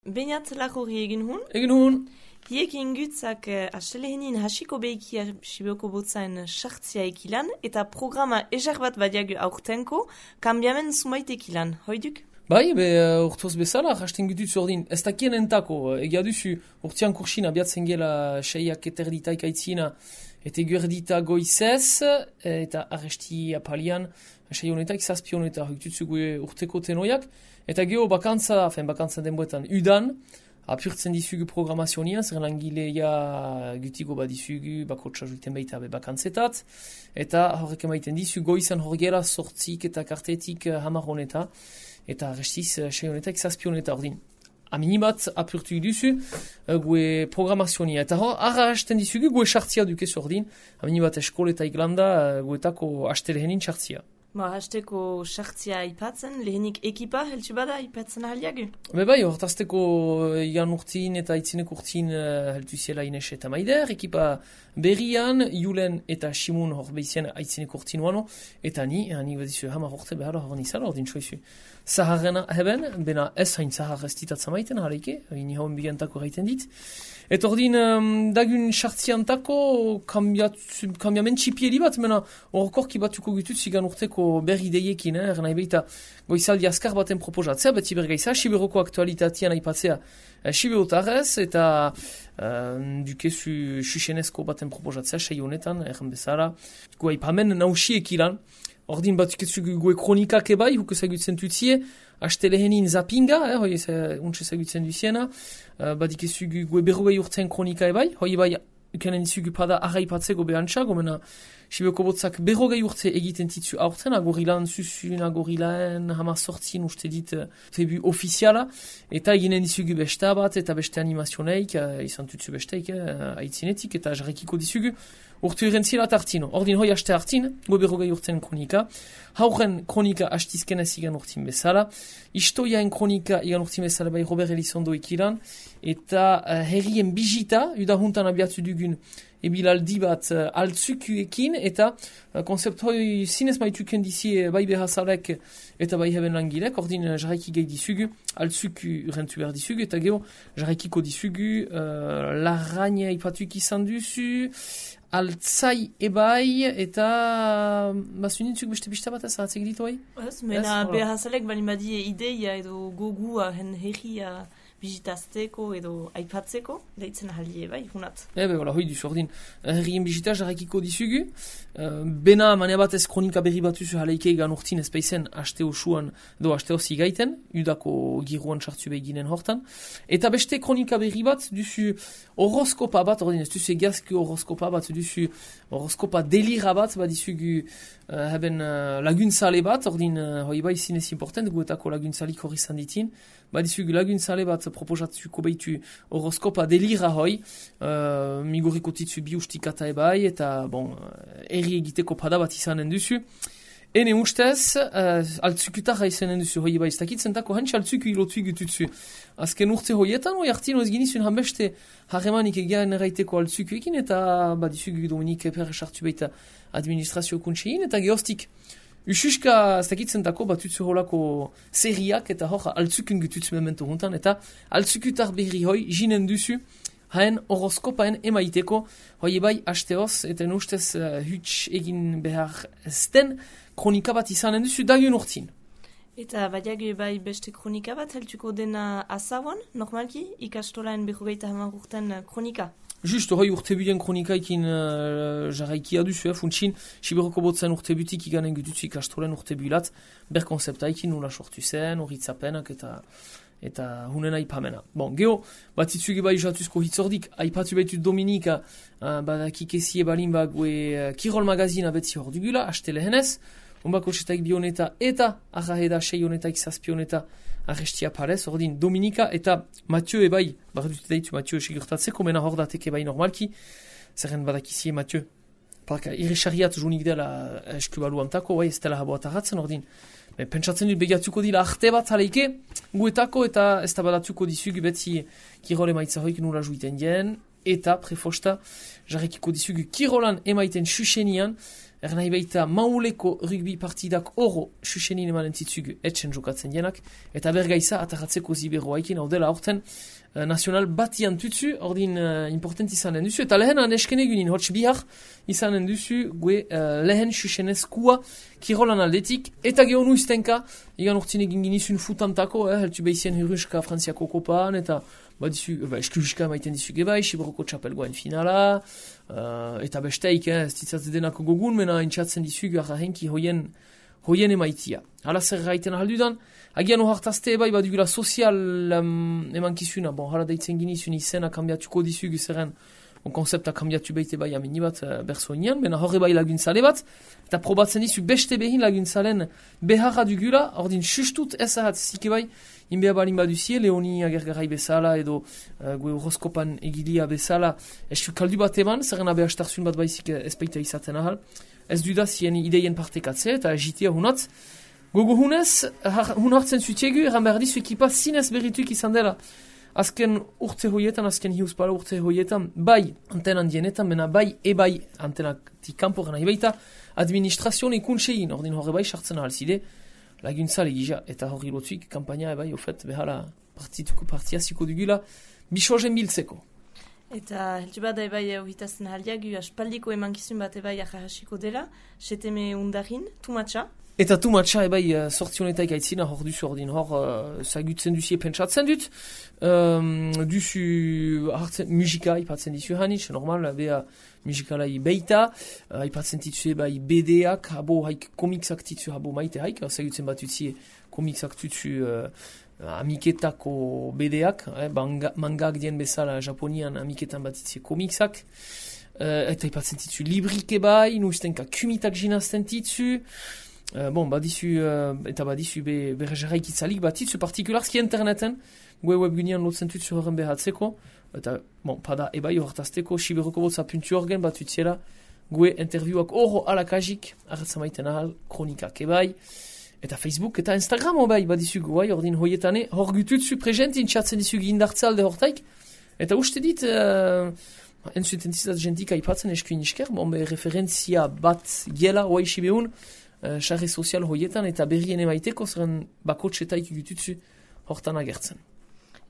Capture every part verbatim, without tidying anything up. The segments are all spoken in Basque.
Beinat lagurri egin hun. Egin hun. Hiekin gutzak uh, astelehenin hasiko behikia Sibioko botzaen sartzia ekilan, eta programa ejar bat badiagu aurtenko, kambiamen sumait ekilan. Hoiduk? Bai, be, uh, urtoz bezala, hasten gutut zordin. Ez dakien entako, egia duzu, urtean kursin abiatzen gela seiak eterditaik aitzina, eta guerdita goizez, eta arresti apalian, sei honetak, zazpi honetak, hukutzu gue urteko tenoiak, eta geho bakantza, fen bakantza denboetan, udan, apurtzen dizugu programazionia, zer langileia gutiko bat dizugu, bakotsa juiten baita be bakantzetat, eta horrek emaiten dizu goizan horgera sortzik eta kartetik hamar honeta, eta restiz sei honetak, zazpi honeta ordin. Aminibat apurtu duzu gue programazionia, eta hor, arra hasten dizugu gue sartzia dukez ordin, aminibat eskol eta iglanda guetako astelehenin sartzia. Ba, hasteko sartzia aipatzen, lehenik ekipa heltsu bada aipatzen ahaliagu? Be bai, hortazteko igan urtin eta itzinek urtin uh, heltu ziela Ines eta Maider, ekipa berrian, Julen eta Simun hor behizien aitzinek urtin wano, eta ni, ni badizu hamar urte behar hor nizala ordin soizu. Zaharrena heben, bena ez hain zahar ez ditatza maiten, haleike, ini hauen bigantako gaiten dit. Eta ordin, um, dagun sartziantako kambiamen txipieli bat, mena horkorki batuko gutut zigan urteko berri deiekin, eh, nahi behita goizaldi askar baten proposatzea, beti bergaiza, Siberoko aktualitatean aipatzea eh, Siberotarrez, eta uh, dukezu xuxenezko baten proposatzea, sei honetan, erren bezala, gu aipamen nausiek ilan. Ordin batukezu gue kronikak ebai, huk ezagutzen tutzie, astelehenin zapinga, eh, hoi untse ezagutzen duziena, uh, badikezu gue berrogei urtean kronika ebai, hoi bai ukanen dizugu pada arraipatzeko behantza, gomena Sibioko botzak berrogei urte egiten titzu aurten, agorilan zuzun, agorilaen, hamar sortzin uste dit febu ofiziala, eta eginen dizugu besta bat, eta beste animazioneik, uh, izan tutzu besteik, uh, aitzinetik, eta jarrekiko dizugu, urte urrentzila tartino. Ordin hoi haste hartin, go berrogei urten kronika, hauren kronika hastizken ez igan urtin bezala, istoiaen kronika igan urtin bezala bai Robert Elizondo ekilan, eta uh, herrien bijita, udahuntan abiatu dugun, ebilaldi bat uh, altzukuekin, eta uh, konzept hoi zinez maituken dizie bai behazalek eta bai heben langilek, ordin uh, jarraiki gehi dizugu, altzuku rentu behar dizugu, eta geho jarraikiko dizugu, uh, larraina ipatuk izan duzu, altzai ebai, eta basunintzuk beste bista bat ez ahatzek ditu hoi? Ez, mena behazalek bali badie ideia edo gogua hen herria bizitazteko edo aipatzeko, deitzen ahalie bai, hunat. Ebe, hola, hoi duzu, ordin, herrien bizita jarrakiko dizugu, uh, bena manea bat ez kronika berri bat duzu haleike egan urtin ez peizen haste osuan, edo haste hozi gaiten, udako giruan sartzu behiginen hortan, eta beste kronika berri bat duzu horoskopa bat, ordin, ez duzu egazki horoskopa bat, duzu horoskopa delira bat, bat dizugu uh, hebben uh, laguntzale bat, ordin, uh, hoi bai zinez important, guetako laguntzalik hori zanditin, badizugu laguntzale bat proposatzuko behitu horoskopa delira hoi, uh, migoriko titzu bi ustikata ebai, eta bon, erri egiteko pada bat izanen duzu. Ene ustez, uh, altzukutarra izanen duzu hoi ebai, ez dakitzentako hantxe altzuku ilotu egututzu. Azken urte hoietan, hoi hartino ez ginizun hanbeste harremanik egean erraiteko altzukuekin, eta badizugu Dominik Eper sartu baita administrazio kuntsein, eta gehoztik Ususka, ez dakitzentako batutzu holako seriak eta hor altzukun gututzu memento huntan, eta altzukutar berri hoi jinen duzu haen horoskopaen emaiteko hoi bai hasteoz, eta nustez uh, huts egin behar ezten kronika bat izanen duzu dagun urtin. Eta badiagu bai beste kronika bat heltuko dena azawan, normalki, ikastolaen berrogeita hamar urten kronika. Just, hoi urtebuden kronikaikin uh, jarraikia duzu, eh, funtsin, Siberoko botzen urtebutik iganen gututzu ikastolen urtebulat, ber konzeptaikin nula sortu zen, horitzapenak eta eta hunen aipamena. Bon, geho, bat zitzuge bai jatuzko hitzordik, aipatu behitu Dominika, uh, badakik ezie balin bague uh, Kirol magazina betzi hor dugula, haste lehenez, onbako setaik bioneta eta arraheda sei honetak zazpi honeta arrestia parez, ordin Dominika eta Mathieu ebai, barra dut daitu Mathieu sigurtatzeko, mena hor datek ebai normalki, zerren badakizie Mathieu. Parka, irrisariat junik dela eskubalu antako, bai ez dela haboat arratzen, ordin. Me pentsatzen dut begatuko dila arte bat haleike, guetako eta ez da badatuko dizugu betzi kirol emaitza hoik nula juiten dien, eta prefosta jarrekiko dizugu kirolan emaiten susenian, er nahi baita mauleko rugby partidak oro susenin emanen zitzugu etxen jokatzen jenak, eta bergaiza ataratzeko ziberroa ikin, hau dela horten uh, nazional batian tutsu, ordin uh, important izanen duzu, eta lehen anesken egunin, hotx bihar izanen duzu, gue uh, lehen susenezkua kirolan aldetik, eta gehonu iztenka, igan urtin egin ginizun futantako, eh, heltu behizien Hiruska Frantziako kopaan, eta ba dizu, ba, eskuruska maiten dizu gebai, Siberoko txapelgoen finala, uh, eta besteik, eh, ez ditzatze denako gogun, mena intxatzen dizu gara henki hoien, hoien emaitia. Hala zer gaiten ahaldudan, agian ohartazte bai, badugula sozial um, emankizuna, bon, hala deitzen ginizun izena kambiatuko dizu zeren, on konzepta kambiatu behite bai amini bat uh, berzo inean, mena horre bai laguntzale bat, eta probatzen dizu beste behin laguntzalen beharra dugula, ordin sustut ez ahat zike bai, inbea balin baduzie, Leoni agergarai bezala edo uh, gue horoskopan egilia bezala, estu kaldu bat eman, zerren abe astarsun bat baizik ezpeita izaten ahal, ez duda zien ideien partekatze, eta egitea hunat, gogo hunez, hun hartzen zutiegu, eran behar dizu ekipa zinez berrituik izan dela, azken urte hoietan, azken hiuspala urte hoietan, bai antenan dienetan, mena bai e bai antenak tikampo gana hibaita, administrazioan ikuntsein, ordin horre bai sartzen ahal zide, laguntza legija, eta hori lotzuik, kampaina ebai, ofet, behala partituko partiaziko dugula, bisozen biltzeko. Eta heltu bat ebai horritazten haliagu, aspaldiko emankizun bat ebai ahasiko dela, seteme undarin, tumatxa. Eta tumatxa ebai sortzionetaik aitzina hor duzu ordin hor uh, zagutzen duzie pentsatzen dut. Um, duzu hartzen musika ipatzen dizu hanitz, normal, beha musikalai beita, uh, ipatzen ditzu ebai B D-ak, habo haik komiksak ditzu habo maite haik, zagutzen bat utzie komiksak ditzu uh, amiketako B D-ak, eh, mangak dien bezala japonian amiketan bat ditzie komiksak. Uh, eta ipatzen ditzu librik ebai, nuztenka kumitak jinazten ditzu. Uh, bon, badizu, uh, eta badizu be, berrejaraik itzalik batitzu partikularski interneten, gue webgunean lotzen tutzu horren behatzeko, eta, bon, pada ebai hortazteko, Siberoko botza puntu orgen bat utziela, gue interviuak oro alakajik, arratzamaiten ahal, kronikak ebai, eta Facebook eta Instagram ebai badizu guai, ordin hoietane, hor gututzu prezent intxatzen dizu gindartza alde hortaik, eta uste dit, uh, entzuten dizat jentik aipatzen eskuin isker, bon, be, referentzia bat gela, oai sibeun, sarri uh, sozial hoietan eta berrien emaiteko zeren bakotxetaik gututzu hortan agertzen.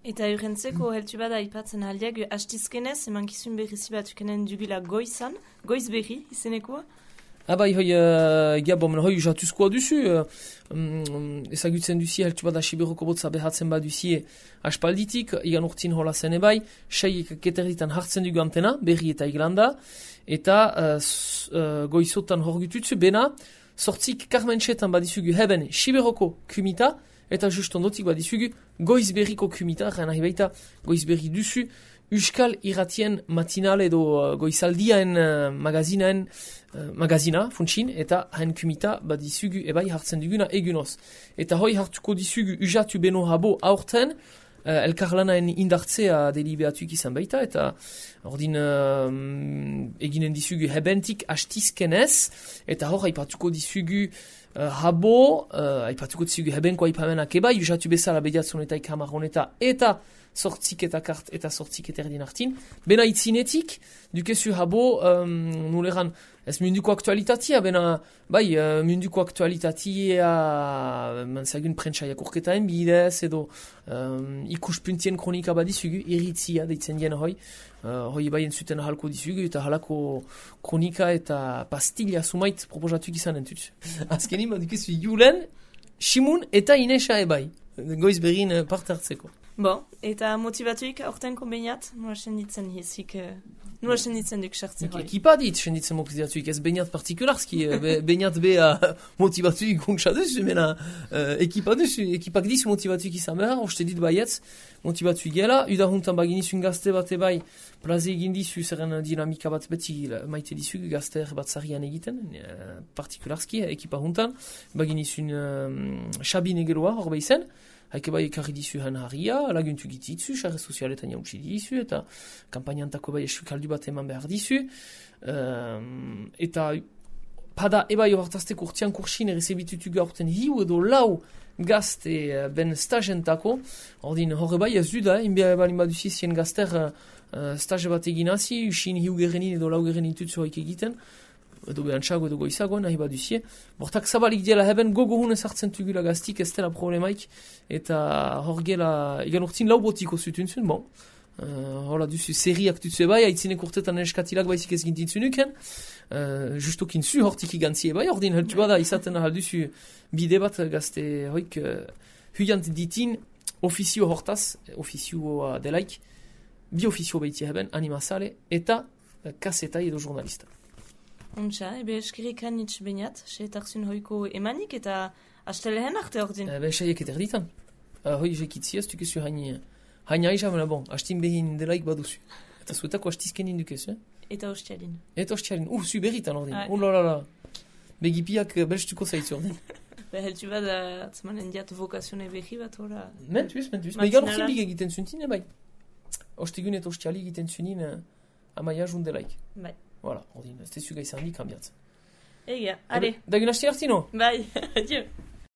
Eta urrentzeko heltu bada aipatzen aldiak hastizkenez emankizun berrizi bat ukenen dugula goizan, goiz berri izenekoa? Abai, hoi, uh, gabon, hoi jatuzkoa duzu, uh, um, ezagutzen duzie heltu bada Siberoko botza behatzen baduzie aspalditik, igan urtin hola zen ebai, sei keterditan hartzen dugu antena, berri eta iglanda, eta uh, uh, goizotan hor gututzu, bena, sortzik karmentxetan badizugu heben Siberoko kumita, eta just ondotik badizugu goizberriko kumita, gana hibaita goizberri duzu, Euskal Irratien matinal edo uh, goizaldiaen uh, magazinaen uh, magazina, funtsin, eta hain kumita badizugu ebai hartzen duguna egunoz. Eta hoi hartuko dizugu usatu beno habo aurten, Uh, elkarlanaen indartzea deliberatuk izan baita, eta ordin uh, eginen dizugu hebentik hastizkenez, eta hor haipatuko dizugu uh, habo, uh, haipatuko dizugu hebenko haipamenak eba, usatu bezala bediatzonetaik hamarroneta, eta sortzik eta kart eta sortzik eta erdin hartin. Bena itzinetik, dukezu habo, um, nuleran, ez munduko aktualitatea, bena, bai, uh, munduko aktualitatea, manzagun prentsaiak urketaen bidez, edo um, ikuspuntien kronika badizugu, iritzia deitzen dien hoi, uh, hoi bai entzuten ahalko dizugu, eta halako kronika eta pastilla sumait proposatuk izan entut. Azkenin, badukezu Julen, Simun eta Inesa ebai, goiz berrin uh, parte hartzeko. Bon, eta motivatuik aurtenko beinat, nua senditzen hizik, nua senditzen duk sartzen hori. Ekipa dit, senditzen motivatuik, ez beinat partikularski, be, beinat bea motivatuik guntza duzu, mena uh, ekipa duzu, ekipak diz motivatuik izan behar, uste dit baietz, motivatuik gela, udahuntan baginizun gazte bat ebai, plaze egin dizu, zerren dinamika bat beti maite dizu, gazte bat zarian egiten, uh, partikularski, ekipa huntan, baginizun uh, Xabin egeroa, hor behizen, haike bai ekarri dizu hen harria, laguntu gititzu, xarre sozialetan jautsi dizu, eta kampainantako bai esu kaldu bat eman behar dizu. Um, eta pada ebai hortazteko urtean kursin errezebitutu gaurten hiu edo lau gazte uh, ben stagentako. Ordin horre bai ez duda, inbea ebalin baduzi zien gazter uh, stage bat egin hazi, usin hiu gerenin edo lau gerenin tutzu haik egiten. edo behantxago edo goizago, nahi bat duzie. Bortak zabalik diela heben gogo hunen sartzen tugula gaztik, ez dela problemaik, eta hor gela, egan urtin lau botiko zutuntzun, bon. Uh, hola duzu seriak dutzu bai, haitzinek urtetan eskatilak baizik ez gintintzunuken, uh, justokin zu hortik igantzie bai, ordin heltu bada izaten ahal duzu bide bat gazte hoik uh, huyant ditin ofizio hortaz, ofizioa delaik, bi ofizio behiti heben, animazale, eta uh, kasetai edo jurnalista. Untxa, ebe eskirik hanitz bainat, seetarzun hoiko emanik eta astelehen arte ordin. Ebe saiek eta erditan. Uh, hoi jekitziaz, tukezu haini, haini aiza, mena bon, hastin behin delaik baduzu. Eta zuetako hastizken indukezu, eh? Eta ostialin. Eta ostialin, uh, zu berritan ordin. Ah, ulalala. Begipiak belztuko zaitzu ordin. Beheltu bat, atzmanen diat vokazione behi bat, hola. Mentuz, mentuz. Megan orkin big egiten zuntin, bai. Ostegun eta ostiali egiten zunin uh, amaia jundelaik. Bai. Voilà, ordin, ez tezu gaizan di kambiatzen. Egia, are. Dagun hasti hartino? Bai, adieu.